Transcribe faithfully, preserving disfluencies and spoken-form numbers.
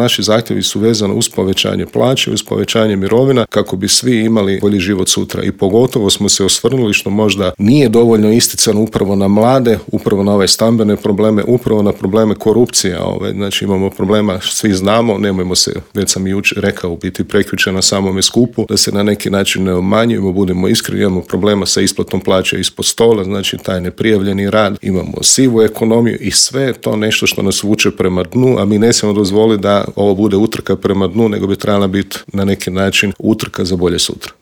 Naši zahtjevi su vezani uz povećanje plaće, uz povećanje mirovina kako bi svi imali bolji život sutra. I pogotovo smo se osvrnuli, što možda nije dovoljno isticano, upravo na mlade, upravo na ove stambene probleme, upravo na probleme korupcije. Ove, znači imamo problema, svi znamo, nemojmo se, već sam i jučer rekao, biti prekjučer na samome skupu, da se na neki način ne obmanjujemo, budemo iskreni, imamo problema sa isplatom plaće ispod stola, znači taj neprijavljeni rad, imamo sivu ekonomiju i sve je to nešto što nas vuče prema dnu, a mi ne smijemo dozvoliti da ovo bude utrka prema dnu, nego bi trebala biti na neki način utrka za bolje sutra.